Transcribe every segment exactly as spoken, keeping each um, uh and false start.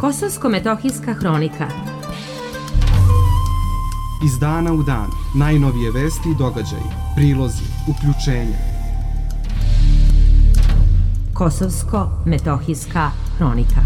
Kosovsko-metohijska hronika. Iz dana u dan, najnovije vesti i događaji, prilozi, uključenja. Kosovsko-metohijska hronika.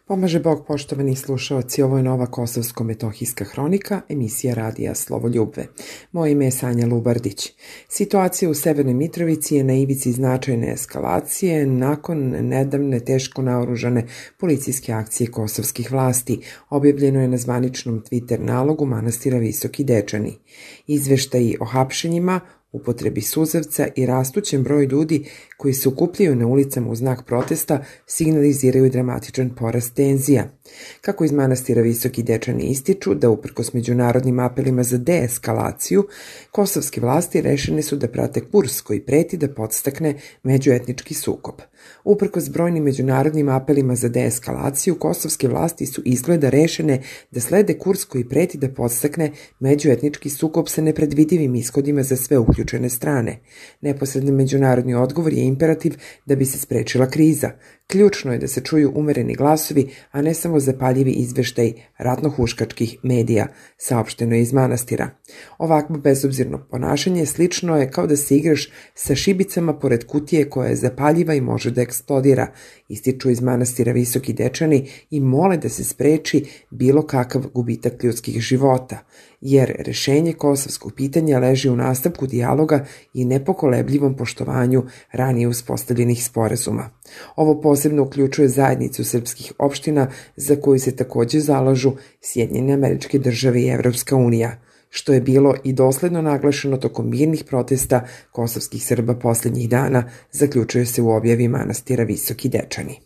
Pomaže Bog, poštovani slušaoci, ovo je nova Kosovsko-metohijska hronika, emisija radija Slovoljubve. Moje ime je Sanja Lubardić. Situacija u Severnoj Mitrovici je na ivici značajne eskalacije nakon nedavne teško naoružane policijske akcije kosovskih vlasti. Objavljeno je na zvaničnom Twitter nalogu manastira Visoki Dečani. Izveštaji o hapšenjima, upotrebi suzavca i rastućem broju ljudi koji se okupljaju na ulicama u znak protesta signaliziraju dramatičan porast tenzija. Kako iz manastira Visoki Dečani ističu da uprkos međunarodnim apelima za deeskalaciju, kosovske vlasti rešene su da prate kurs koji preti da podstakne međuetnički sukob. Uprkos brojnim međunarodnim apelima za deeskalaciju, kosovske vlasti su izgleda rešene da slede kurs koji preti da podstakne međuetnički sukob sa nepredvidivim ishodima za sve uključene strane. Neposredni međunarodni odgovor je imperativ da bi se sprečila kriza. Ključno je da se čuju umereni glasovi, a ne samo zapaljivi izveštaj ratno-huškačkih medija, saopšteno je iz manastira. Ovakvo bezobzirno ponašanje slično je kao da se igraš sa šibicama pored kutije koja je zapaljiva i može da eksplodira, ističu iz manastira Visoki Dečani i mole da se spreči bilo kakav gubitak ljudskih života, jer rešenje kosovskog pitanja leži u nastavku dijaloga i nepokolebljivom poštovanju ranije uspostavljenih sporazuma. Ovo posebno uključuje zajednicu srpskih opština za koju se takođe zalažu Sjedinjene Američke Države i Evropska unija, što je bilo i dosledno naglašeno tokom mirnih protesta kosovskih Srba posljednjih dana, zaključuje se u objavi manastira Visoki Dečani.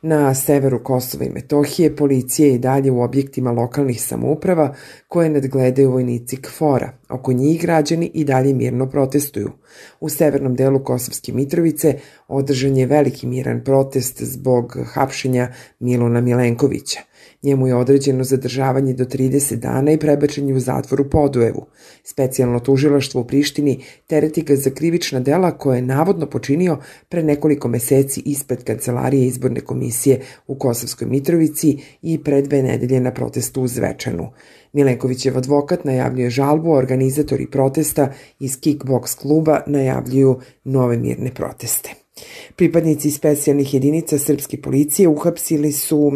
Na severu Kosova i Metohije policija je i dalje u objektima lokalnih samouprava koje nadgledaju vojnici K F O R-a. Oko njih građani i dalje mirno protestuju. U severnom delu Kosovske Mitrovice održan je veliki miran protest zbog hapšenja Miluna Milenkovića. Njemu je određeno zadržavanje do trideset dana i prebačenje u zatvor u Podujevu. Specijalno tužilaštvo u Prištini tereti ga za krivična dela koje je navodno počinio pre nekoliko meseci ispred Kancelarije izborne komisije u Kosovskoj Mitrovici i pre dve nedelje na protestu u Zvečanu. Milenkovićev advokat najavljuje žalbu, a organizatori protesta iz Kickbox kluba najavljuju nove mirne proteste. Pripadnici specijalnih jedinica srpske policije uhapsili su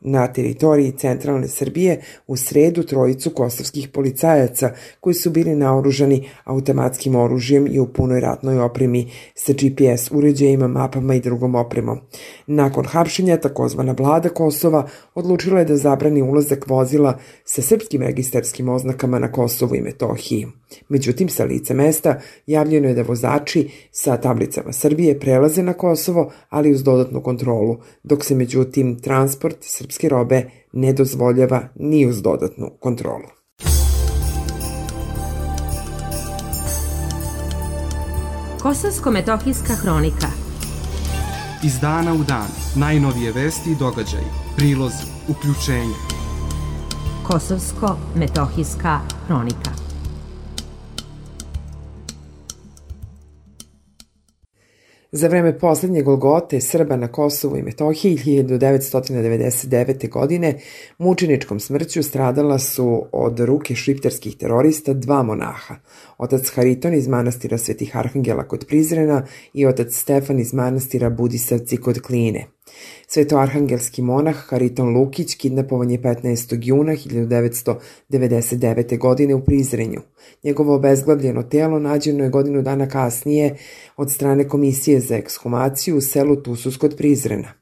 na teritoriji centralne Srbije u sredu trojicu kosovskih policajaca koji su bili naoružani automatskim oružjem i u punoj ratnoj opremi sa G P S uređajima, mapama i drugom opremom. Nakon hapšenja, takozvana vlada Kosova odlučila je da zabrani ulazak vozila sa srpskim registarskim oznakama na Kosovu i Metohiji. Međutim, sa lica mesta javljeno je da vozači sa tablicama Srbije prelaze na Kosovo, ali uz dodatnu kontrolu, dok se međutim transport srpske robe ne dozvoljava ni uz dodatnu kontrolu. Kosovsko-metohijska hronika. Iz dana u dan, najnovije vesti i događaji, prilozi, uključenja. Kosovsko-metohijska hronika. Za vreme poslednje golgote Srba na Kosovu i Metohiji hiljadu devetsto devedeset devete. godine mučeničkom smrću stradala su od ruke šiptarskih terorista dva monaha, otac Hariton iz manastira Svetih Arhangela kod Prizrena i otac Stefan iz manastira Budisavci kod Kline. Svetoarhangelski monah Hariton Lukić kidnapovan je petnaestog juna hiljadu devetsto devedeset devete. godine u Prizrenju. Njegovo obezglavljeno telo nađeno je godinu dana kasnije od strane komisije za ekshumaciju u selu Tusus kod Prizrena.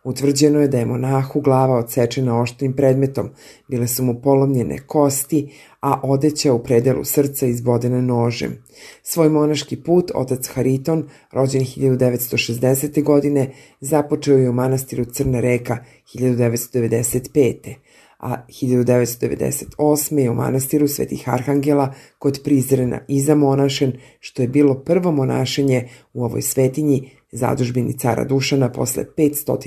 Utvrđeno je da je monahu glava odsečena oštrim predmetom, bile su mu polomljene kosti, a odeća u predelu srca izbodena nožem. Svoj monaški put otac Hariton, rođen hiljadu devetsto šezdesete. godine, započeo je u manastiru Crna Reka hiljadu devetsto devedeset pete. a hiljadu devetsto devedeset osme. je u manastiru Svetih Arhangela kod Prizrena izamonašen, što je bilo prvo monašenje u ovoj svetinji, zadužbini cara Dušana posle petsto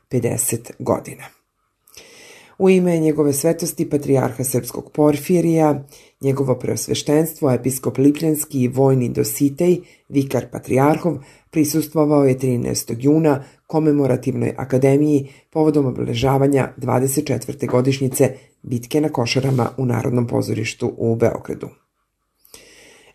pedeset godina. U ime njegove svetosti patrijarha srpskog Porfirija, njegovo preosveštenstvo, episkop Lipljanski i vojni Dositej, vikar patrijarhov, prisustvovao je trinaestog juna komemorativnoj akademiji povodom obeležavanja dvadeset četvrte godišnjice bitke na Košarama u Narodnom pozorištu u Beogradu.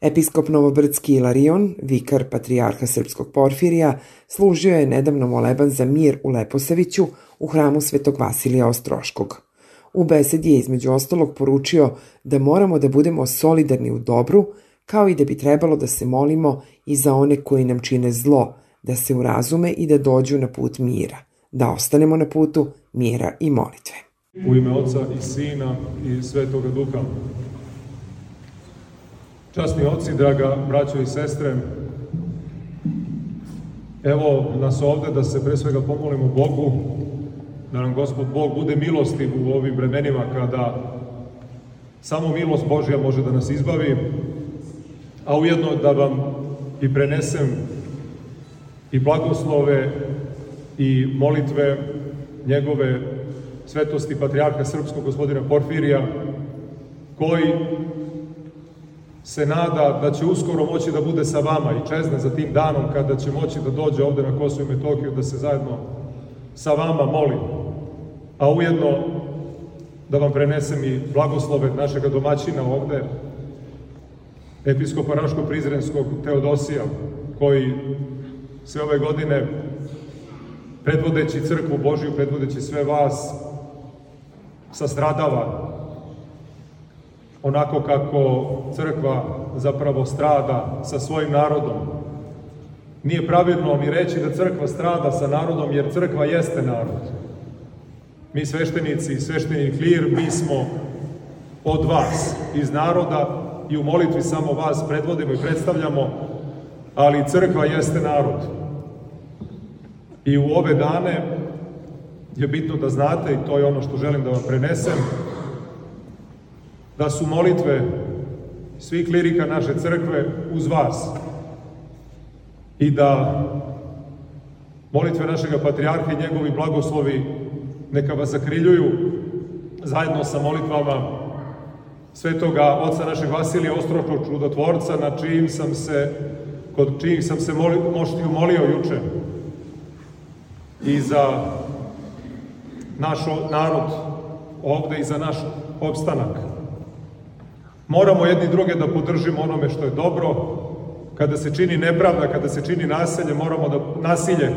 Episkop Novobrdski Ilarion, vikar patrijarha srpskog Porfirija, služio je nedavno moleban za mir u Leposaviću u hramu Svetog Vasilija Ostroškog. U besedi je između ostalog poručio da moramo da budemo solidarni u dobru, kao i da bi trebalo da se molimo i za one koji nam čine zlo, da se urazume i da dođu na put mira, da ostanemo na putu mira i molitve. U ime Oca i Sina i Svetoga Duha. Časni oci, draga braćo i sestre, evo nas ovde da se pre svega pomolimo Bogu, da nam Gospod Bog bude milostiv u ovim vremenima kada samo milost Božja može da nas izbavi, a ujedno da vam i prenesem i blagoslove i molitve njegove svetosti patrijarha srpskog gospodina Porfirija, koji se nada da će uskoro moći da bude sa vama i čezne za tim danom kada će moći da dođe ovde na Kosovo i Metohiju da se zajedno sa vama molim, a ujedno da vam prenesem i blagoslove našega domaćina ovde, episkopa Raško-Prizrenskog Teodosija, koji sve ove godine, predvodeći crkvu Božiju, predvodeći sve vas, sastradava onako kako crkva zapravo strada sa svojim narodom. Nije pravilno ni reći da crkva strada sa narodom, jer crkva jeste narod. Mi sveštenici i svešteni klir, mi smo od vas, iz naroda, i u molitvi samo vas predvodimo i predstavljamo, ali crkva jeste narod. I u ove dane je bitno da znate, i to je ono što želim da vam prenesem, da su molitve svih klirika naše crkve uz vas i da molitve našega patrijarha i njegovi blagoslovi neka vas zakriljuju zajedno sa molitvama svetoga oca našeg Vasilija Ostroškog čudotvorca, na čijim sam se, kod čijih sam se molio, moštiju molio juče, i za naš narod ovde i za naš opstanak. Moramo jedni druge da podržimo onome što je dobro. Kada se čini nepravda, kada se čini nasilje, moramo da, nasilje,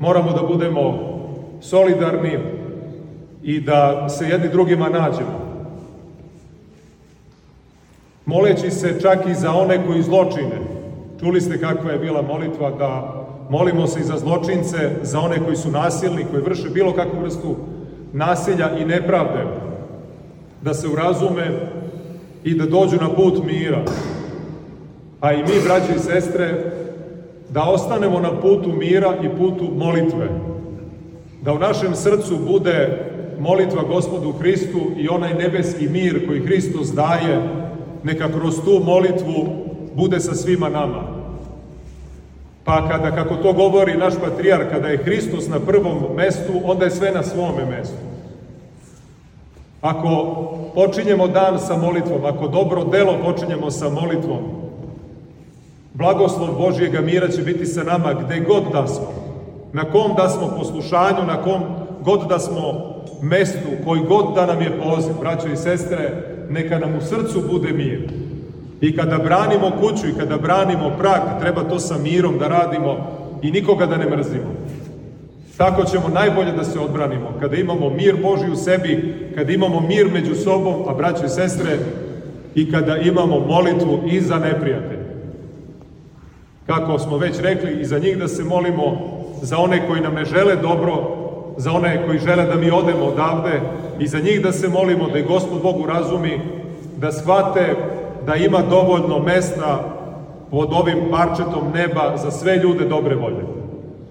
moramo da budemo solidarni i da se jedni drugima nađemo. Moleći se čak i za one koji zločine. Čuli ste kakva je bila molitva, da molimo se i za zločince, za one koji su nasilni, koji vrše bilo kakvu vrstu nasilja i nepravde, da se urazume i da dođu na put mira. A i mi, braći i sestre, da ostanemo na putu mira i putu molitve. Da u našem srcu bude molitva Gospodu Hristu i onaj nebeski mir koji Hristos daje, neka kroz tu molitvu bude sa svima nama. Pa kada, kako to govori naš patrijarh, kada je Hristos na prvom mestu, onda je sve na svome mestu. Ako počinjemo dan sa molitvom, ako dobro delo počinjemo sa molitvom, blagoslov Božjega mira će biti sa nama gde god da smo, na kom da smo poslušanju, na kom god da smo mestu, koji god da nam je poziv. Braćo i sestre, neka nam u srcu bude mir. I kada branimo kuću i kada branimo prag, treba to sa mirom da radimo i nikoga da ne mrzimo. Tako ćemo najbolje da se odbranimo. Kada imamo mir Božji u sebi, kada imamo mir među sobom, a braćo i sestre, i kada imamo molitvu i za neprijatelje. Kako smo već rekli, i za njih da se molimo, za one koji nam ne žele dobro, za one koji žele da mi odemo odavde, i za njih da se molimo, da i Gospod Bog urazumi, da shvate da ima dovoljno mesta pod ovim parčetom neba za sve ljude dobre volje.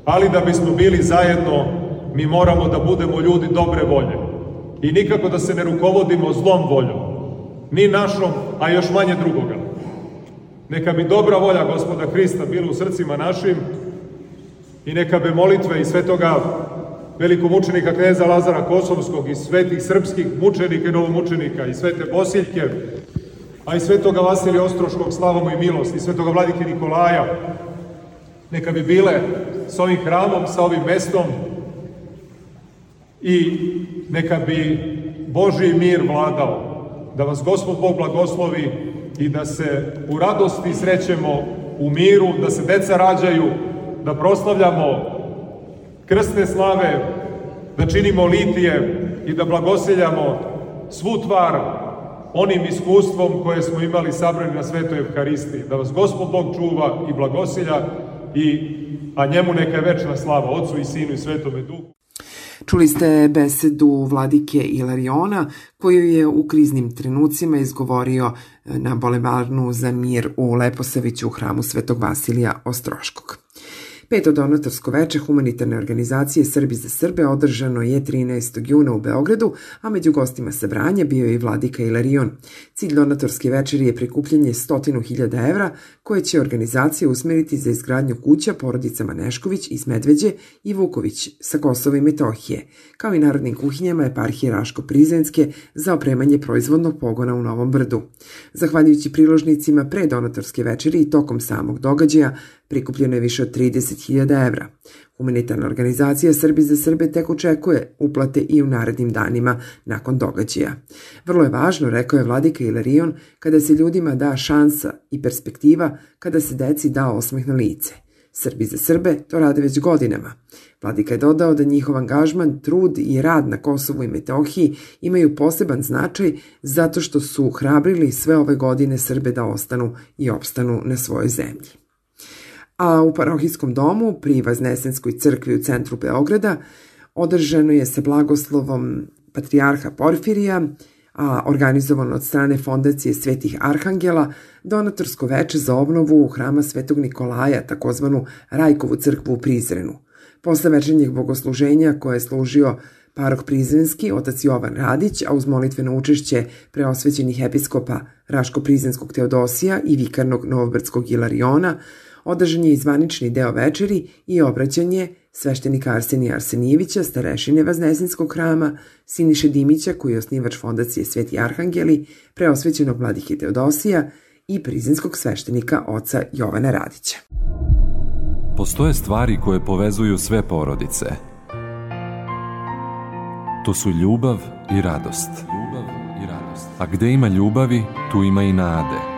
Ali da bismo bili zajedno, mi moramo da budemo ljudi dobre volje. I nikako da se ne rukovodimo zlom voljom. Ni našom, a još manje drugoga. Neka bi dobra volja Gospoda Hrista bila u srcima našim i neka bi molitve i svetoga velikomučenika kneza Lazara Kosovskog i svetih srpskih mučenika i novomučenika i svete Bosiljke, a i svetoga Vasilija Ostroškog, slava mu i milost, i svetoga vladike Nikolaja, neka bi bile s ovim hramom, sa ovim mestom i neka bi Božji mir vladao. Da vas Gospod Bog blagoslovi i da se u radosti srećemo u miru, da se deca rađaju, da proslavljamo krstne slave, da činimo litije i da blagoseljamo svu tvar onim iskustvom koje smo imali sabrani na Svetoj Evharistiji. Da vas Gospod Bog čuva i blagoselja, i, a njemu neka je večna slava, Otcu i Sinu i Svetome Duhu. Čuli ste besedu vladike Ilariona, koju je u kriznim trenucima izgovorio na Bulevarnu za mir u Leposaviću u hramu Svetog Vasilija Ostroškog. Peto donatorsko veče humanitarne organizacije Srbi za Srbe održano je trinaestog juna u Beogradu, a među gostima sabranja bio je i vladika Ilarion. Cilj donatorske večeri je prikupljanje stotinu hiljada evra koje će organizacija usmeriti za izgradnju kuća porodicama Nešković iz Medveđe i Vuković sa Kosova i Metohije, kao i narodnim kuhinjama eparhije Raško-Prizrenske za opremanje proizvodnog pogona u Novom Brdu. Zahvaljujući priložnicima pre donatorske večeri i tokom samog događaja prikupljeno je više od trideset hiljada evra. Humanitarna organizacija Srbi za Srbe tek očekuje uplate i u narednim danima nakon događaja. Vrlo je važno, rekao je vladika Ilarion, kada se ljudima da šansa i perspektiva, kada se deci da osmeh na lice. Srbi za Srbe to rade već godinama. Vladika je dodao da njihov angažman, trud i rad na Kosovu i Metohiji imaju poseban značaj zato što su hrabrili sve ove godine Srbe da ostanu i opstanu na svojoj zemlji. A u parohijskom domu pri Vaznesenskoj crkvi u centru Beograda održano je sa blagoslovom patrijarha Porfirija, a organizovano od strane Fondacije Svetih Arhangela, donatorsko veče za obnovu hrama Svetog Nikolaja, takozvanu Rajkovu crkvu u Prizrenu. Posle večernjeg bogosluženja koje je služio parok Prizrenski, otac Jovan Radić, a uz molitveno učešće preosvećenih episkopa Raško-Prizrenskog Teodosija i vikarnog Novobrdskog Ilariona, održan je i zvanični deo večeri i obraćanje sveštenika Arsenija Arsenijevića, starešine Vaznesenskog hrama, Siniše Dimića, koji je osnivač Fondacije Sveti Arhangeli, preosvećenog vladike Teodosija i prizrenskog sveštenika oca Jovana Radića. Postoje stvari koje povezuju sve porodice. To su ljubav i radost. Ljubav i radost. A gde ima ljubavi, tu ima i nade.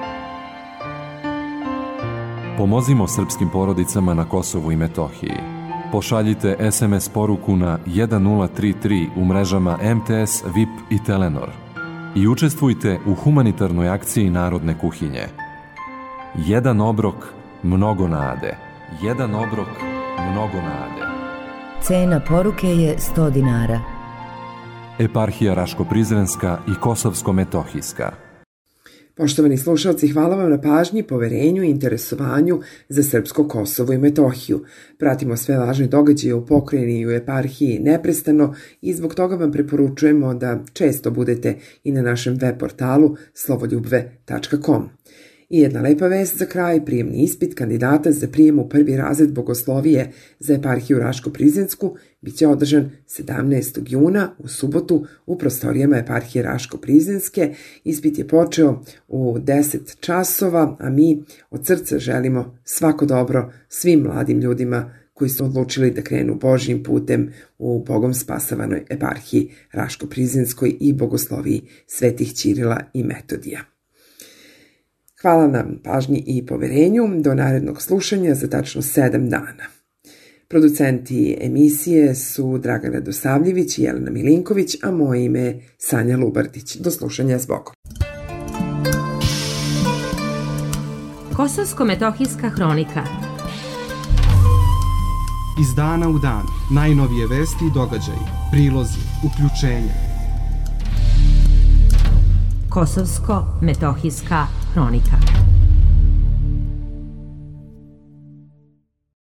Pomozimo srpskim porodicama na Kosovu i Metohiji. Pošaljite es em es poruku na jedan nula tri tri u mrežama em te es, V I P i Telenor i učestvujte u humanitarnoj akciji Narodne kuhinje. Jedan obrok, mnogo nade. Jedan obrok, mnogo nade. Cena poruke je sto dinara. Eparhija Raško-Prizrenska i Kosovsko-Metohijska. Poštovani slušalci, hvala vam na pažnji, poverenju i interesovanju za srpsko Kosovo i Metohiju. Pratimo sve važne događaje u pokrajini i u eparhiji neprestano i zbog toga vam preporučujemo da često budete i na našem web portalu slovoljubve tačka com. I jedna lepa vest za kraj, prijemni ispit kandidata za prijem u prvi razred bogoslovije za eparhiju Raško-Prizrensku biće održan sedamnaestog juna u subotu u prostorijama eparhije Raško-Prizrenske. Ispit je počeo u deset časova, a mi od srca želimo svako dobro svim mladim ljudima koji su odlučili da krenu Božjim putem u Bogom spasavanoj eparhiji Raško-Prizrenskoj i bogosloviji svetih Ćirila i Metodija. Hvala na pažnji i poverenju. Do narednog slušanja za tačno sedam dana. Producenti emisije su Dragana Dosavljević i Jelena Milinković, a moje ime je Sanja Lubardić. Do slušanja s Bogom. Kosovsko-metohijska hronika. Iz dana u dan, najnovije vesti i događaji, prilozi, uključenja. Kosovsko-metohijska hronika.